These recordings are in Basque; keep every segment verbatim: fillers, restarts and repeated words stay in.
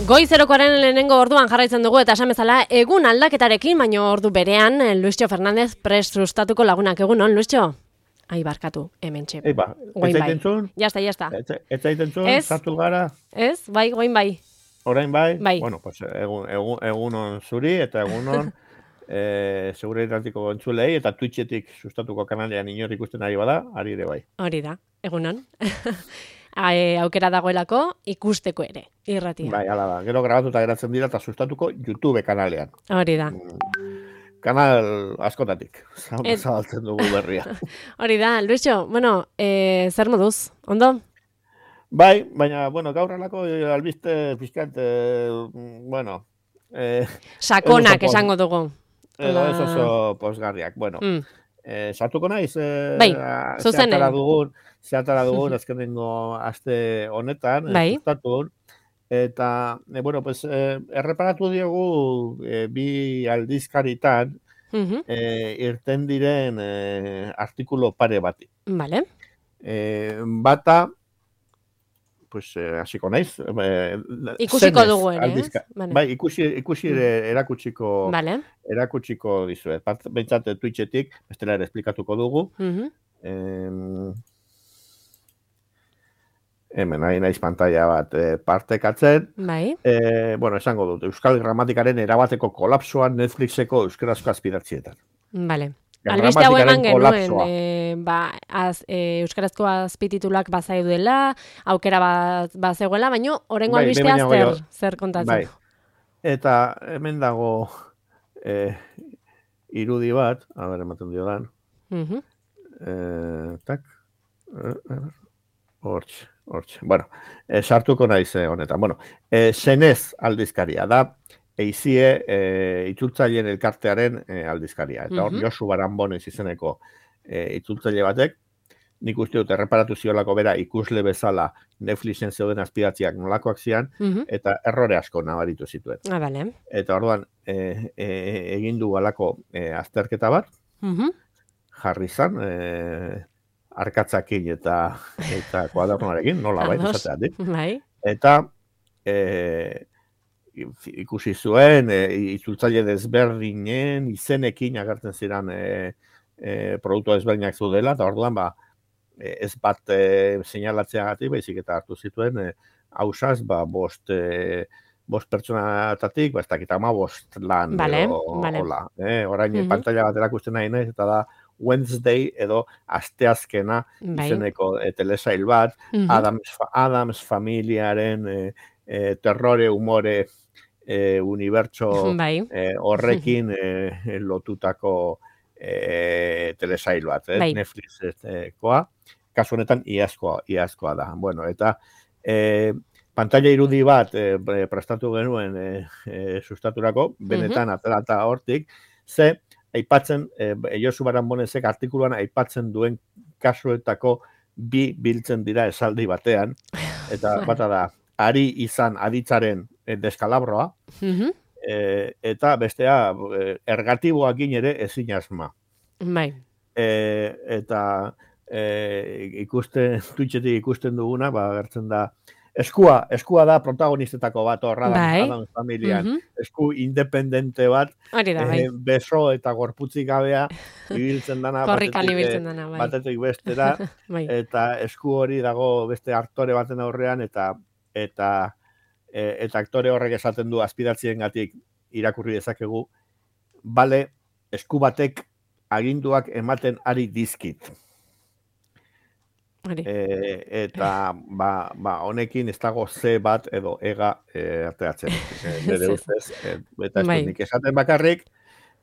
Goizerokoaren lehenengo orduan jarraitzen dugu eta esan bezala egun aldaketarekin, baina ordu berean Luistxo Fernandez prest sustatuko lagunak egunon, Luistxo? Ai, barkatu, hemen txe. Eiba, ez zaitentzun? Jazta, jazta. Ez zaitentzun, sartu gara? Ez, bai, goin bai. Orain bai? Bai. Bueno, pues egun, egun, egunon zuri eta egunon e, seguridadiko entzulei eta Twitchetik sustatuko kanalean inor ikusten ari bada, ari ere bai. Hori da, egunon. E, aukera dagoelako ikusteko ere, irratia. Bai, ala da. Gero grabatuta geratzen dira eta sustatuko YouTube kanalean. Hori da. Kanal askotatik, zabaltzen dugu berria. Hori da, Luisio, bueno, e, zer moduz, ondo? Bai, baina, bueno, gaur alako albiste pixkat, e, bueno... E, Sakonak esango dugu. Edo ez oso posgarriak, bueno... Mm. Eh, sartuko naiz, eh, bai, zehatara dugun, zehatara dugun, azkenengo aste honetan, bai. sustatun, eta, eh, bueno, pues, eh, erreparatu diogu eh, bi aldizkaritan uh-huh. eh, irten diren eh, artikulo pare bati. Vale. Eh, bata, pues, hasiko eh, naiz. Eh, ikusiko dugu ere, aldizka, vale. Bai, ikusi, ikusi ere erakutsiko, vale. erakutsiko dizuet. Bentsat Twitchetik, bestela ere esplikatuko dugu. Uh-huh. eh, hemen, nahi naiz pantalla bat eh, partekatzen. Bai. Eh, bueno, esango dut, Euskal Gramatikaren erabateko kolapsoan Netflixeko euskarazko azpidatzietan. Vale. Albiste hau eman genuen, e, ba, az, e, euskarazko azpititulak bazai duela, aukera bat bazegoela, baina orengo bai, albistea zer, zer kontatzen. Bai. Eta hemen dago e, irudi bat, a ber, ematen dio dan. Uh-huh. e, tak, hortxe, hortxe. Bueno, e, sartuko naiz honetan. Bueno, e, Zenez aldizkaria da, eizie e, itzultzaileen elkartearen e, aldizkaria. Eta hor, uh-huh. Josu Baranbonez izeneko e, itzultzaile batek, nik uste dut erreparatu ziolako bera ikusle bezala Netflixen zeuden azpidatziak nolakoak zian, uh-huh. eta errore asko nabaritu zituen. Ah, vale. Eta orduan, e, e, egin du alako e, azterketa bat, uh-huh. jarri zan, e, arkatzakin eta, eta kuadernoarekin, nola bai, esateatik. Bai. Eta, e, ikusi zuen, e, itzultzaile desberdinen, izenekin agertzen ziren e, e, produktu desberdinak zudela, eta orduan, ba, ez bat e, seinalatzeagatik, baizik eta hartu zituen, e, hausaz, ba, bost, e, bost pertsonatatik, ba, ez dakit ama bost lan, vale, edo, vale. Hola, e, orain uh-huh. pantalla bat erakusten nahi nahi, eta da, Wednesday edo asteazkena bai. izeneko e, telesail bat, uh-huh. Adams, Adams familiaren e, e, terrore, umore, E, unibertso bai. e, horrekin e, lotutako e, telesail bat, eh? bai. Netflixekoa, kasu honetan iazkoa, iazkoa da. Bueno, eta e, pantalla irudi bat e, prestatu genuen e, e, sustaturako, benetan uh-huh. aterata hortik, ze aipatzen, e, Josu Baranbonezek artikuluan aipatzen duen kasuetako bi biltzen dira esaldi batean, eta bata da, ari izan aditzaren deskalabroa, uh-huh. e, eta bestea ergatiboakin ere ezin asma. Bai. E, eta e, ikusten, Twitchetik ikusten duguna, ba, gertzen da, eskua, eskua da protagonistetako bat horra da, bai. Adams familian, uh-huh. esku independente bat, da, bai. e, beso eta gorputzik gabea, ibiltzen dana, batetik, ibiltzen dana, bai. batetik bestera, bai. Eta esku hori dago beste aktore baten aurrean, eta eta e, eta aktore horrek esaten du azpidatziengatik irakurri dezakegu, bale, esku batek aginduak ematen ari dizkit. E, eta ba, ba, honekin ez dago ze bat edo ega e, arteatzen. E, nire ustez, e, eta ez nik esaten bakarrik,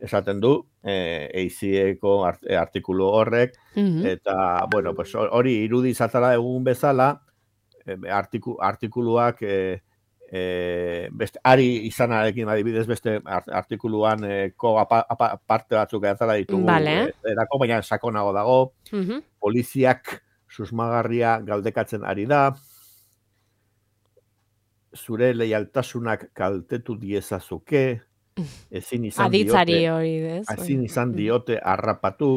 esaten du, e, eizieko art, e, artikulu horrek, uh-huh. eta, bueno, pues, hori irudi zatara egun bezala, Artiku, artikuluak e, e, beste, ari izanarekin adibidez beste artikuluan e, ko apa, apa, parte batzuk edatzala ditugu vale. e, erako, baina sakonago dago, uh-huh. poliziak susmagarria galdekatzen ari da, zure leialtasunak kaltetu diezazuke, ezin izan Aditzari diote, hori, ez? ezin izan diote harrapatu,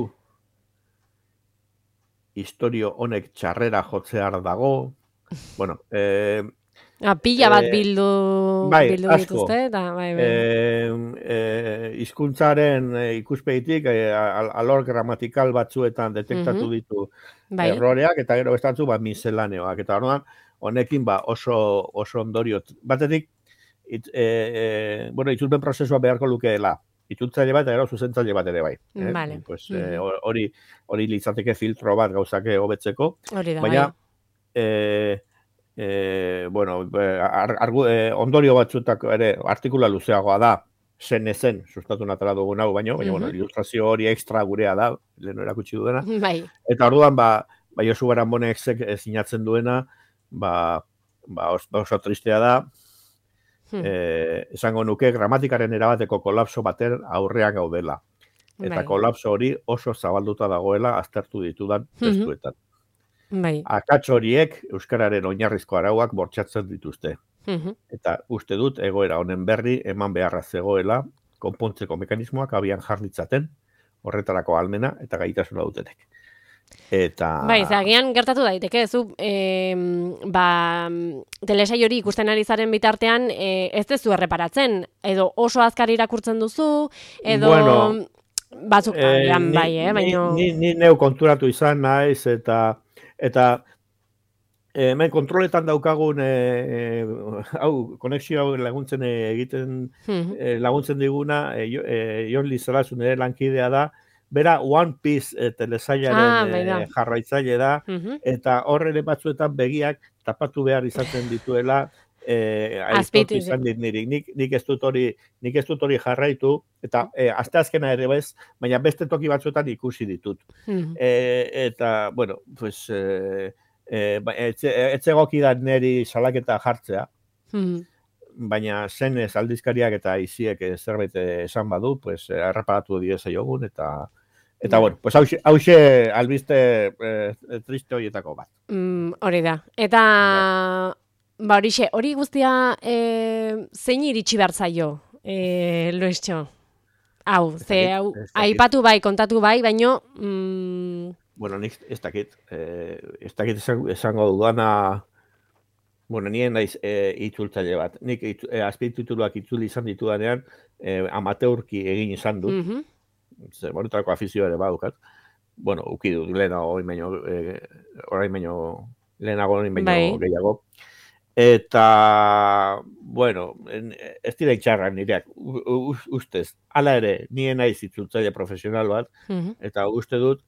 historio honek txarrera jotzear dago. Bueno, eh, Ah, pila bat bildu, bai, bildu asko. dituzte, eta bai, bai. E, e, hizkuntzaren e, ikuspegitik e, alor gramatikal batzuetan detektatu ditu bai. erroreak, eta gero bestatzu ba, miselaneoak. Eta orduan, honekin ba, oso, oso ondorio. Batetik, it, e, e, bueno, itzulpen prozesua beharko lukeela. Itzultzaile bat, eta gero zuzentzaile bat ere bai. Eh? Vale. Pues, e, hori, hori litzateke filtro bat gauzake hobetzeko. Hori da, baina, bai. E, e, bueno, ar, ar, e, ondorio batzutako ere artikula luzeagoa da, zen ezen, sustatu natara dugun hau, baino, baina, bueno, ilustrazio hori ekstra gurea da, leheno erakutsi duena. Bai. Eta orduan, ba, ba Josu Baranbonek sinatzen duena, ba, ba oso tristea da, hmm. e, esango nuke gramatikaren erabateko kolapso baten aurrean gaudela. Eta bai. Kolapso hori oso zabalduta dagoela aztertu ditudan testuetan. Bai. Akats horiek euskararen oinarrizko arauak bortxatzen dituzte. Eta uste dut egoera honen berri eman beharra zegoela konpontzeko mekanismoak abian jarritzaten, horretarako almena eta gaitasuna dutenek. Eta... Bai, zagian gertatu daiteke, zu, e, ba, telesai hori ikusten ari zaren bitartean, e, ez dezu erreparatzen, edo oso azkar irakurtzen duzu, edo... Bueno, batzuk eh, bai, eh, baino... Ni, ni, ni neu konturatu izan naiz, eta... Eta hemen kontroletan daukagun e, e, hau, konexio hau laguntzen egiten e, laguntzen diguna, e, e, Jon Lizarazu nire lankidea da, bera One Piece e, telesailaren ah, e, jarraitzaile da, uh-huh. eta horre batzuetan begiak tapatu behar izaten dituela, eh aitortu izan dit niri. Nik, nik ez dut hori, nik ez dut hori jarraitu, eta e, asteazkena ere bez, baina beste toki batzuetan ikusi ditut. Uh-huh. E, eta, bueno, pues... E, E, etzegoki da neri salaketa jartzea, hmm. baina zenez aldizkariak eta iziek zerbait esan badu, pues, erreparatu dieza jogun, eta, eta yeah. bueno, pues, hause albiste e, triste horietako bat. Mm, hori da. Eta, yeah. ba horixe, hori guztia e, zein iritsi behar zaio, e, Luistxo? Hau, ze, hau, aipatu bai, kontatu bai, baino... Mm, Bueno, nik ez dakit, eh, ez dakit esango dudana, bueno, nien naiz eh, itzultzaile bat. Nik itz, eh, azpitituluak itzuli izan ditudanean, eh, amateurki egin izan dut. Mm-hmm. Zer, monetarako afizio ere badukat. Bueno, uki dut, lehenago, orain baino, eh, orain baino, lehenago, orain baino bai. Gehiago. Eta, bueno, ez dira itxarrak nireak, ustez, hala ere, nien naiz itzultzaile profesional bat, mm-hmm. eta uste dut,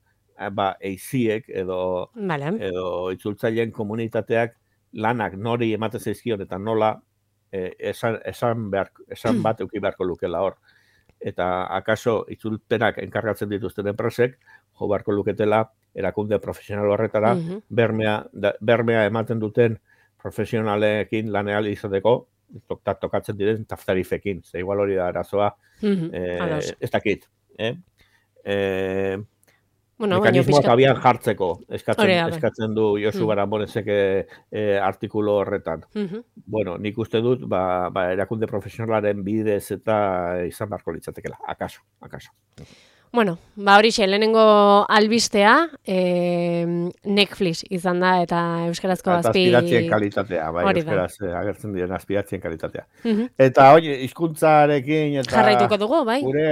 ba, eiziek edo, vale. edo itzultzaileen komunitateak lanak nori ematen zaizkion eta nola eh, esan, esan, behar, esan bat euki beharko lukela hor. Eta akaso itzulpenak enkargatzen dituzten enpresek, jo beharko luketela erakunde profesional horretara, uh-huh. bermea, da, bermea ematen duten profesionalekin laneal izateko, tokatzen diren taftarifekin. Ze igual hori da arazoa, uh-huh. eh, ez dakit. Eh? Eh, Bueno, mekanismoak pixka... abian jartzeko eskatzen, eskatzen du Josu mm. Baranbonek e, artikulu horretan. Mm-hmm. Bueno, nik uste dut, ba, ba, erakunde profesionalaren bidez eta izan beharko litzatekela, akaso, akaso. Bueno, ba horixe, lehenengo albistea, e, Netflix izan da, eta euskarazko azpi... Eta azpiratzien kalitatea, bai, euskaraz agertzen diren azpiratzien kalitatea. Mm-hmm. Eta, oi, hizkuntzarekin eta... Jarraituko dugu, bai. Gure,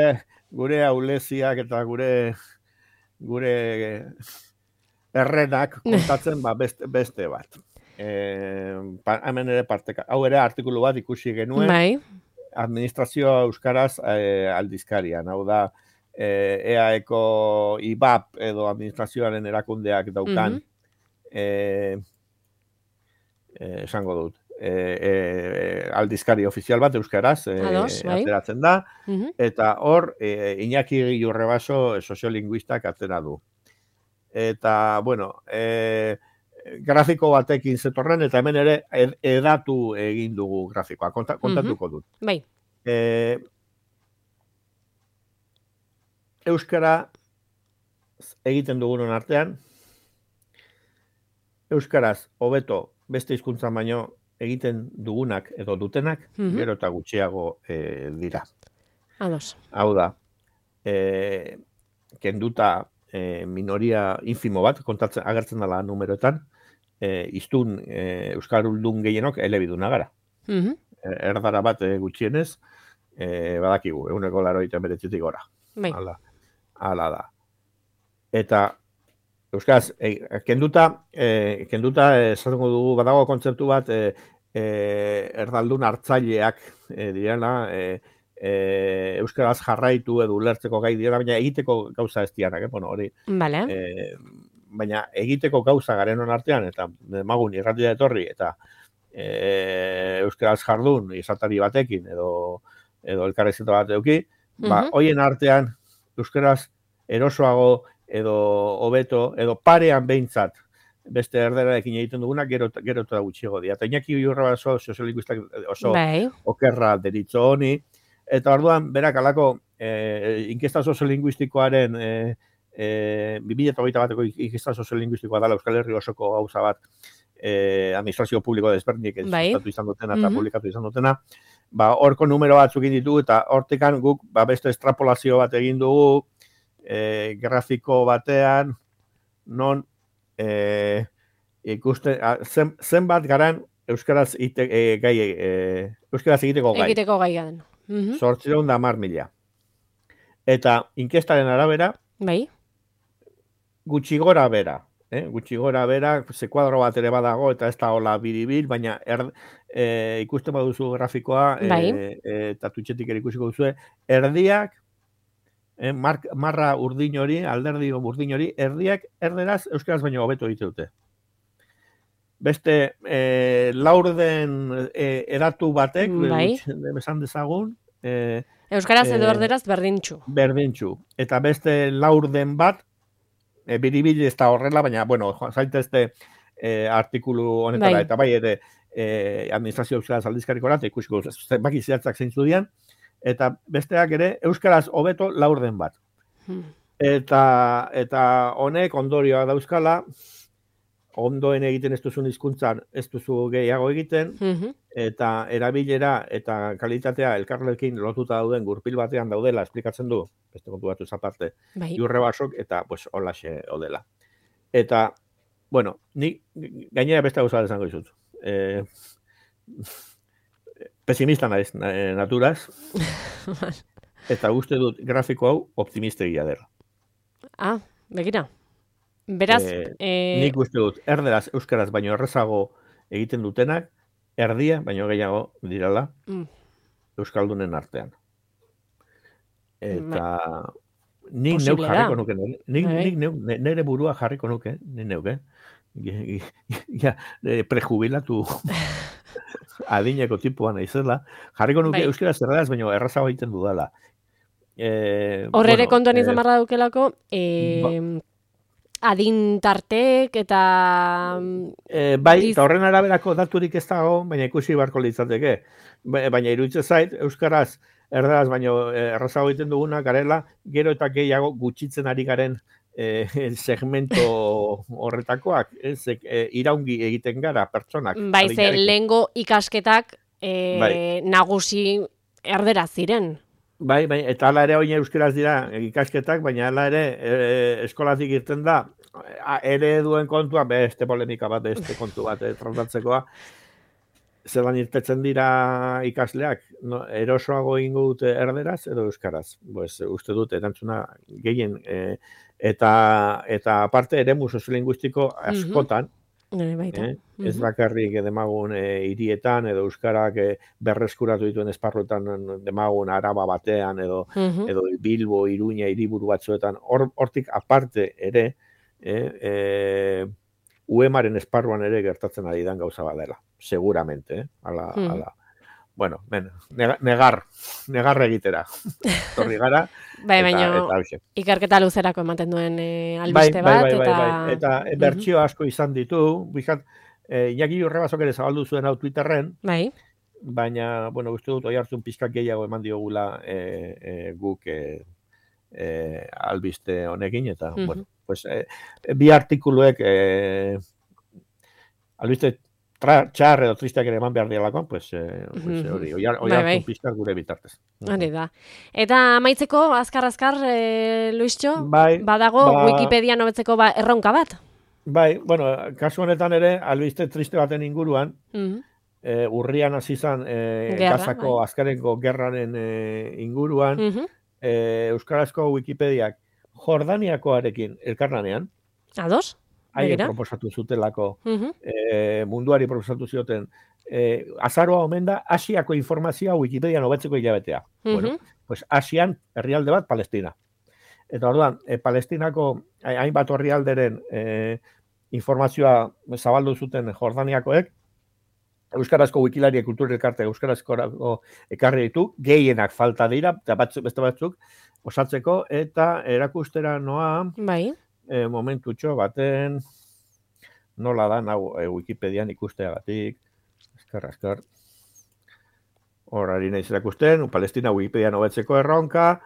gure auleziak eta gure... gure errenak kontatzen ba beste, beste bat. E, pa, hemen ere parteka. Hau ere artikulu bat ikusi genuen. Bai. Administrazioa euskaraz e, aldizkarian. Hau da, e, eaeko I B A P edo administrazioaren erakundeak daukan mm-hmm. e, e, esango dut. E, e, aldizkari ofizial bat euskaraz e, Ados, bai. Ateratzen da mm-hmm. eta hor e, Iñaki Urrebaso soziolinguistak atera du eta bueno e, grafiko batekin zetorren eta hemen ere ed, edatu egin dugu grafikoa Konta, kontatuko dut mm-hmm. bai. e, euskara egiten dugunon artean euskaraz hobeto beste hizkuntza baino egiten dugunak edo dutenak, mm-hmm. gero eta gutxiago e, dira. Ados. Hau da, e, kenduta e, minoria infimo bat, kontatzen agertzen dela numeroetan, e, iztun e, Euskaldun gehienok elebiduna gara. Mhm. Erdara bat e, gutxienez, e, badakigu, eguneko laroita beretzetik gora. Bai. Hala, hala da. Eta Euskaraz, e, kenduta, e, kenduta esatengo dugu, badago kontzeptu bat, e, e, erdaldun hartzaileak e, direla, e, e, Euskaraz jarraitu edo ulertzeko gai dira, baina egiteko gauza ez dianak, eh? Bueno, hori. Vale. E, baina egiteko gauza garenon artean, eta demagun irratia etorri, eta e, Euskaraz jardun, izatari batekin, edo, edo elkarrezeta bat eduki, mm-hmm. ba, hoien artean, Euskaraz erosoago, edo hobeto, edo parean behintzat, beste erderarekin egiten duguna, gero, gero eta gutxiago dira. Eta Iñaki Urra oso soziolinguistak oso bai. Okerra deritzo honi, eta orduan, berak alako, eh, inkesta soziolinguistikoaren, eh, eh, bi mila hogeita bateko inkesta soziolinguistikoa dela Euskal Herri osoko gauza bat, eh, administrazio publiko desberdinek bai. Sustatu izan dutena eta mm-hmm. publikatu izan dutena, ba, horko numero batzuk ditugu, eta hortekan guk ba, beste estrapolazio bat egin dugu, E, grafiko batean, non e, ikuste, a, zen, zenbat garan Euskaraz, ite, e, gai, e, Euskaraz egiteko gai. Egiteko gai garen. Mm-hmm. Zortzireun da mar mila. Eta inkestaren arabera, bai. Gutxi gora bera. Eh? Gutxi gora bera, ze kuadro bat ere badago, eta ez da hola biribil, baina er, e, ikusten baduzu grafikoa, bai. e, e, eta tutxetik ere ikusiko duzu, erdiak, Eh, mar, marra urdin hori, alderdi urdin hori, erdiak erderaz euskaraz baino hobeto egite dute. Beste, eh, laurden eh, eratu batek, bai. Esan dezagun, eh, euskaraz edo erderaz berdintxu. Berdintxu. Eta beste laurden bat, eh, biribili ez da horrela, baina, bueno, zaitezte eh, artikulu honetara, bai. Eta bai ere eh, administrazio euskaraz aldizkariko eta ikusiko baki zehatzak zeintzu dian, eta besteak ere euskaraz hobeto laurden bat. Hmm. Eta eta honek ondorioa dauzkala, ondoen egiten ez duzun hizkuntzan ez duzu gehiago egiten, mm-hmm. eta erabilera eta kalitatea elkarrekin lotuta dauden gurpil batean daudela, esplikatzen du, beste kontu batu zaparte, bai. Jurre basok, eta pues, holaxe odela. Eta, bueno, nik gainera beste gauza desango izut. Eh, Pesimista naiz, naturaz, eta uste dut grafiko hau optimistegia dela. Ah, begira. Beraz, eh, eh... nik uste dut, erderaz, euskaraz baino errezago egiten dutenak, erdia baino gehiago dirala, mm. euskaldunen artean. Eta nik neuk jarriko nuke, nik, nik neuk, nire burua jarriko nuke, nik neuk, eh? Ja, prejubilatu... adineko tipuan naizela, jarriko nuke bai. Euskara zerradaz, baina errazago egiten dudala. Eh, Horrere bueno, kontuan izan barra dukelako, eh, ba, adin tartek eta... Eh, bai, diz... eta horren araberako daturik ez dago, baina ikusi barko litzateke. Baina iruditzen zait, Euskaraz erdaraz, baina errazago egiten duguna, garela, gero eta gehiago gutxitzen ari garen Eh, segmento horretakoak, ez, eh, iraungi egiten gara pertsonak. Bai, ze lehengo ikasketak eh, bai. nagusi erdera ziren. Bai, bai, eta hala ere oin euskeraz dira ikasketak, baina hala ere eh, eskolatik irten da, ere duen kontua, beste polemika bat, beste kontu bat, eh, tratatzekoa, zelan irtetzen dira ikasleak, no, erosoago ingo dute erderaz edo euskaraz. Pues, uste dut, erantzuna gehien... Eh, Eta, eta aparte eremu soziolinguistiko askotan, mm-hmm. eh, mm-hmm. ez bakarrik demagun eh, hirietan edo euskarak eh, berreskuratu dituen esparruetan demagun Araba batean edo, mm-hmm. edo Bilbo, Iruña, hiriburu batzuetan, hortik Or, aparte ere, eh, eh, U E M-aren esparruan ere gertatzen ari dan gauza badela, seguramente, eh, ala, mm. ala. Bueno, ben, negar, negar egitera. Torri gara. Bai, baina ikerketa luzerako ematen duen e, albiste bai, bat. Bai, bai, eta... bai, bai. Eta uh-huh. bertsio asko izan ditu. Bizat, e, Iñaki Urrebasok ere zabaldu zuen hau Twitterren. Bai. Baina, bueno, uste dut, oi hartzun pizkak gehiago eman diogula e, e, guk e, e, albiste honekin. Eta, uh-huh. bueno, pues, e, bi artikuluek e, albiste Tra, txar edo tristeak ere eman behar dialako, pues, eh, pues, hori, oi hartu pizkar gure bitartez. Hori da. Eta amaitzeko, azkar-azkar, eh, Luistxo, bai, badago ba, Wikipedia nobetzeko ba, erronka bat? Bai, bueno, kasu honetan ere, albiste triste baten inguruan, Mm. e, urrian hasi izan e, Gazako bai. Azkeneko gerraren e, inguruan, mm -hmm. e, Euskarazko Wikipediak Jordaniakoarekin elkarlanean, ados? haien proposatu zutelako, mm -hmm. e, munduari proposatu zioten, e, azaroa omen da, Asiako informazioa Wikipedian hobetzeko hilabetea. Mm -hmm. Bueno, pues Asian herrialde bat Palestina. Eta orduan, e, Palestinako hainbat herrialderen e, informazioa zabaldu zuten Jordaniakoek, Euskarazko Wikilaria kultura elkarte Euskarazko ekarri ditu, gehienak falta dira, eta batzuk, beste batzuk, osatzeko, eta erakustera noa, bai. E, momentutxo baten, nola da, nau, e, Wikipedian ikusteagatik, eskar, eskar, horari nahiz erakusten, Palestina Wikipedian hobetzeko erronka,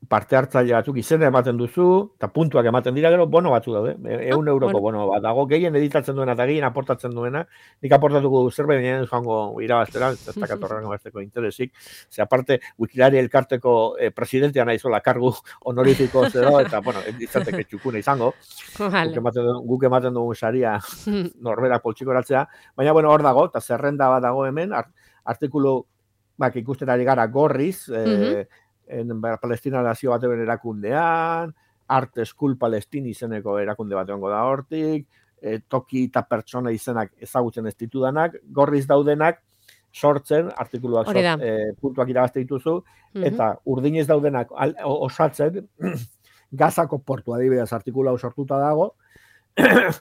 parte hartzaile batzuk izena ematen duzu, eta puntuak ematen dira gero, bono batzu daude, eun euroko bono bat dago, gehien editatzen duena eta gehien aportatzen duena, nik aportatuko zerbait gehien joango irabaztera, ez da katorren bazteko interesik, ze aparte, Wikilaria elkarteko eh, presidentea nahi zola kargu honorifiko zero, eta, bueno, izateke txukuna izango, vale. guk, ematen, guk ematen dugu saria norberak poltsiko eratzea, baina, bueno, hor dago, eta zerrenda bat dago hemen, art, artikulu, bak, ikusten ari gara gorriz, eh, mm-hmm. en Palestina nazio batean erakundean, Art School Palestine izeneko erakunde bat egongo da hortik, e, toki eta pertsona izenak ezagutzen ez ditudanak, gorriz daudenak, sortzen, artikuluak sort, e, puntuak irabazte dituzu, mm-hmm. eta urdinez daudenak al, osatzen, Gazako portu adibidez artikula sortuta dago,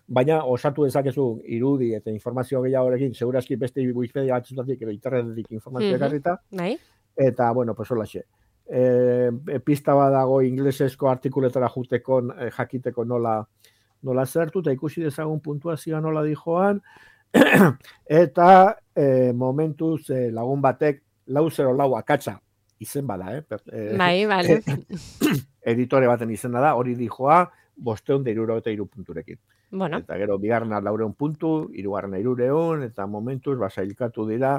baina osatu dezakezu irudi eta informazio gehiagorekin, segurazki beste Wikipedia batzutatik, edo internetetik informazioa ekarrita, mm-hmm. eta, bueno, pues hola xe. E, pista bat dago inglesesko artikuletara juteko, e, jakiteko nola, nola zertu, eta ikusi dezagun puntuazioa nola dijoan, eta e, momentuz e, lagun batek lau zero lau akatsa izen bada, eh? E, bai, bai. Editore baten izena da, hori dijoa, bosteun da iruro eta iru punturekin. Bueno. Eta gero, bigarna laureun puntu, irugarna irureun, eta momentuz, basailkatu dira,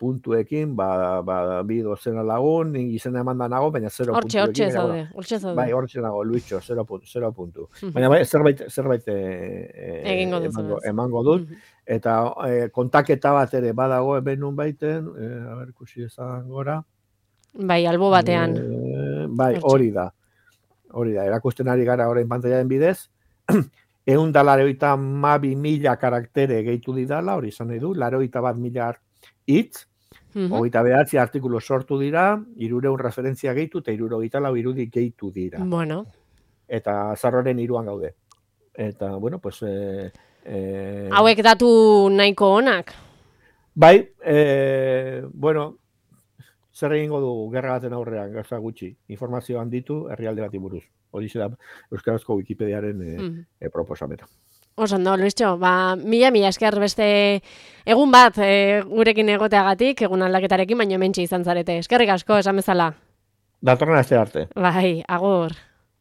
puntuekin, ba, ba, bi dozena lagun, izena eman da nago, baina zero ortxe, puntuekin. Hortxe, zaude, hortxe zaude. Bai, hortxe nago, Luitxo, zero, zero puntu. Uh-huh. Baina bai, zerbait, zerbait e, egingo dut. Emango, emango dut. Uh-huh. Eta e, kontaketa bat ere badago eben nun baiten, e, a ber, kusi ezan gora. Bai, albo batean. E, bai, hori da. Hori da, erakusten ari gara orain pantaiaren bidez. Egun da laroita mabi mila karaktere gehitu didala, hori izan nahi du, laroita bat mila hitz, mm-hmm. hogeita behatzi artikulu sortu dira, irureun referentzia gehitu, eta iruro lau irudi gehitu dira. Bueno. Eta zarroren iruan gaude. Eta, bueno, pues... Eh, eh, hauek datu nahiko onak? Bai, eh, bueno, zer egingo dugu gerra baten aurrean, gauza gutxi, informazioan ditu herrialde bati buruz. Hori da Euskarazko Wikipediaren e, mm. e, proposamena. Osondo, Luistxo, ba, mila, mila esker beste egun bat e, gurekin egoteagatik, egun aldaketarekin, baino hementxe izan zarete. Eskerrik asko, esan bezala. Datorren aste arte. Bai, agur.